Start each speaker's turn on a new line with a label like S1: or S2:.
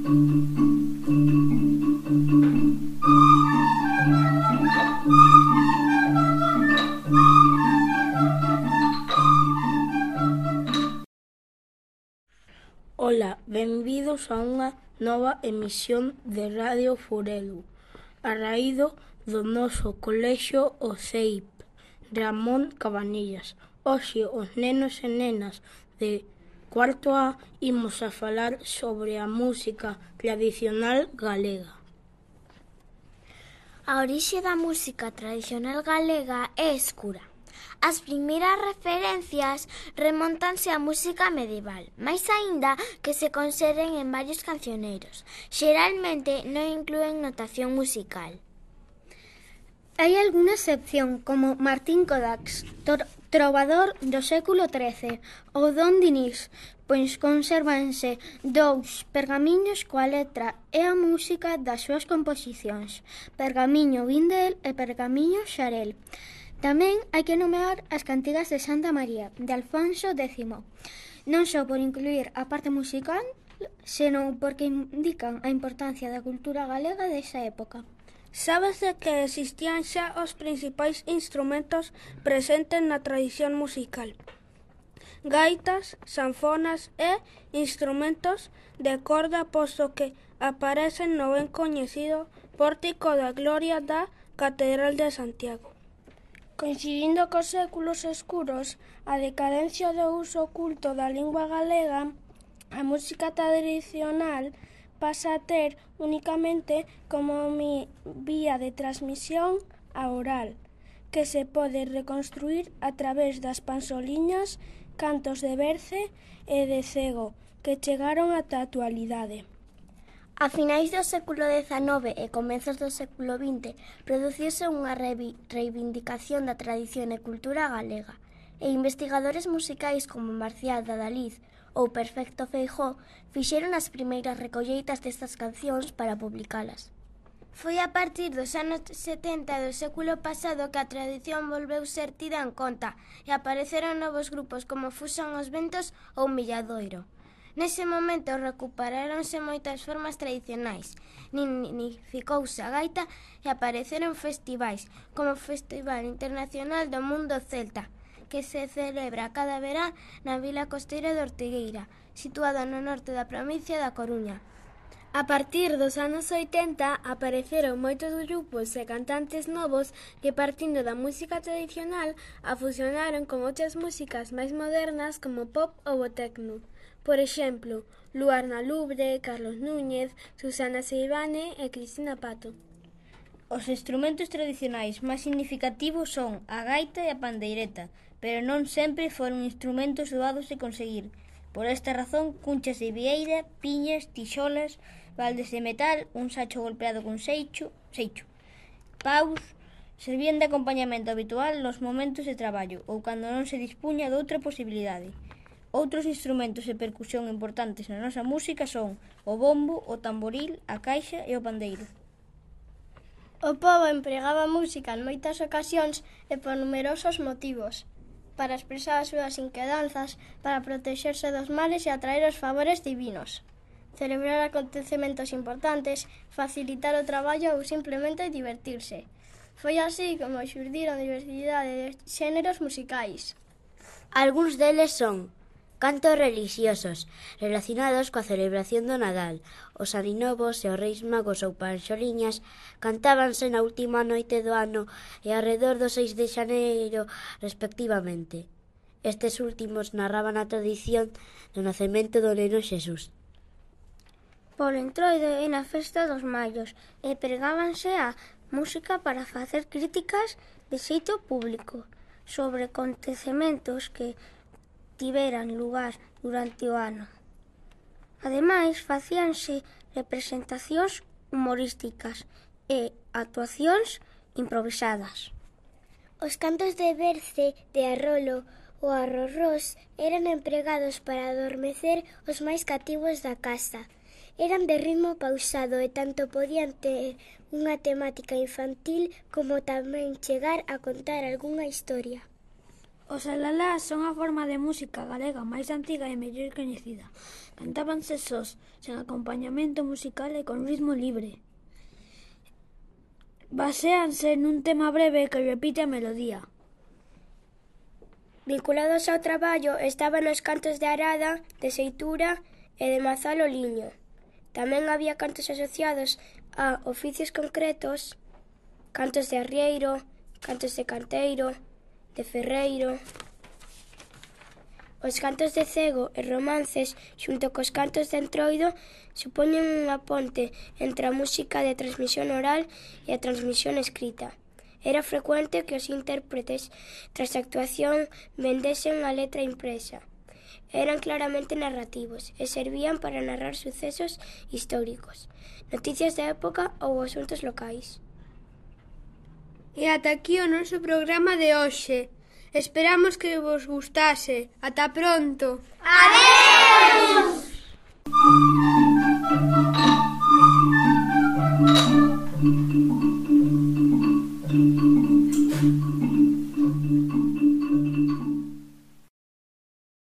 S1: Ola, benvidos a unha nova emisión de Radio Furelu, a raído do noso colexio o CEIP, Ramón Cabanillas. Hoxe os nenos e nenas de cuarto A imos a falar sobre a música tradicional galega.
S2: A orixe da música tradicional galega é escura. As primeiras referencias remóntanse á música medieval, máis aínda que se conserven en varios cancioneiros. Xeralmente non inclúen notación musical. Hai algunha excepción, como Martín Codax, trovador do século XIII, ou Don Dinís, pois consérvanse 2 pergamiños coa letra e a música das súas composicións, Pergamiño Vindel e Pergamiño Xarel. Tamén hai que nomear as cantigas de Santa María, de Alfonso X, non só por incluir a parte musical, senón porque indican a importancia da cultura galega desa época.
S3: Sábese que existían xa os principais instrumentos presentes na tradición musical: gaitas, sanfonas e instrumentos de corda, posto que aparecen no ben coñecido Pórtico da Gloria da Catedral de Santiago. Coincidindo cos séculos escuros, a decadencia do uso oculto da lingua galega, a música tradicional pasa a ter únicamente como vía de transmisión a oral, que se pode reconstruir a través das pansoliñas, cantos de berce e de cego, que chegaron ata a actualidade.
S2: A finais do século XIX e comezos do século XX produciuse unha reivindicación da tradición e cultura galega, e investigadores musicais como Marcial de Adaliz ou Perfecto Feijóo fixeron as primeiras recolleitas destas cancións para publicalas. Foi a partir dos anos 70 do século pasado que a tradición volveu ser tida en conta e apareceron novos grupos como Fusan os Ventos ou Milladoiro. Nese momento recuperáronse moitas formas tradicionais, dignificouse a gaita e apareceron festivais, como o Festival Internacional do Mundo Celta, que se celebra cada verán na vila costeira de Ortigueira, situada no norte da provincia da Coruña. A partir dos anos 80 apareceron moitos grupos e cantantes novos que, partindo da música tradicional, a fusionaron con outras músicas máis modernas como pop ou o tecno. Por exemplo, Luar na Lubre, Carlos Núñez, Susana Seivane e Cristina Pato.
S4: Os instrumentos tradicionais máis significativos son a gaita e a pandeireta, pero non sempre foron instrumentos doados de conseguir. Por esta razón, cunchas de vieira, piñas, tixolas, baldes de metal, un sacho golpeado con seicho, paus, servían de acompañamento habitual nos momentos de traballo ou cando non se dispuña doutra posibilidade. Outros instrumentos de percusión importantes na nosa música son o bombo, o tamboril, a caixa e o pandeiro.
S5: O pobo empregaba música en moitas ocasións e por numerosos motivos: para expresar as súas inquedanzas, para protexerse dos males e atraer os favores divinos, celebrar acontecementos importantes, facilitar o traballo ou simplemente divertirse. Foi así como xurdiron diversidade de xéneros musicais.
S6: Algúns deles son cantos relixiosos relacionados coa celebración do Nadal. Os aninovos e os reis magos ou panxoliñas cantábanse na última noite do ano e arredor do 6 de xaneiro, respectivamente. Estes últimos narraban a tradición do nacemento do neno Xesús.
S2: Polo Entroido e na festa dos Mallos e pregábanse a música para facer críticas de xeito público sobre acontecementos que tiveran lugar durante o ano. Ademais, facíanse representacións humorísticas e actuacións improvisadas.
S7: Os cantos de berce, de arrolo ou arrorrós eran empregados para adormecer os máis cativos da casa. Eran de ritmo pausado e tanto podían ter unha temática infantil como tamén chegar a contar algunha historia.
S8: Os alalás son a forma de música galega máis antiga e mellor coñecida. Cantábanse sós, sen acompañamento musical e con ritmo libre. Baséanse nun tema breve que repite a melodía.
S5: Vinculados ao traballo estaban os cantos de arada, de seitura e de mazal o liño. Tamén había cantos asociados a oficios concretos, cantos de arrieiro, cantos de canteiro, de ferreiro. Os cantos de cego e romances, xunto cos cantos de entroido, supoñen unha ponte entre a música de transmisión oral e a transmisión escrita. Era frecuente que os intérpretes, tras a actuación, vendesen a letra impresa. Eran claramente narrativos e servían para narrar sucesos históricos, noticias da época ou asuntos locais.
S3: E ata aquí o noso programa de hoxe. Esperamos que vos gustase. Ata pronto.
S2: Adeus!